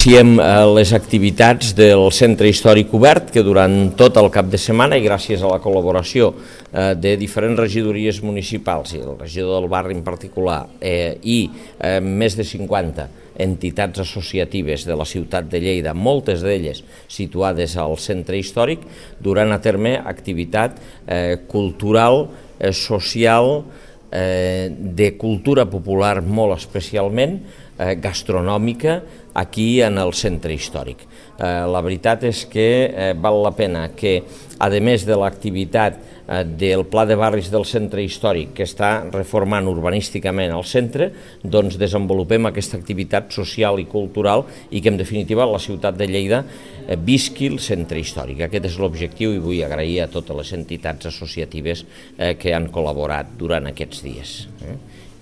Iniciem les activitats del Centre Històric Obert, que durant tot el cap de setmana i gràcies a la col·laboració de diferents regidories municipals i el regidor del barri en particular i més de 50 entitats associatives de la ciutat de Lleida, moltes d'elles situades al centre històric, duran a terme activitat cultural, social, de cultura popular molt especialment, gastronòmica, aquí en el centre històric. La veritat és que val la pena que, a més de l'activitat del Pla de Barris del centre històric que està reformant urbanísticament el centre, doncs desenvolupem aquesta activitat social i cultural i que en definitiva la ciutat de Lleida visqui el centre històric. Aquest és l'objectiu i vull agrair a totes les entitats associatives que han col·laborat durant aquests dies.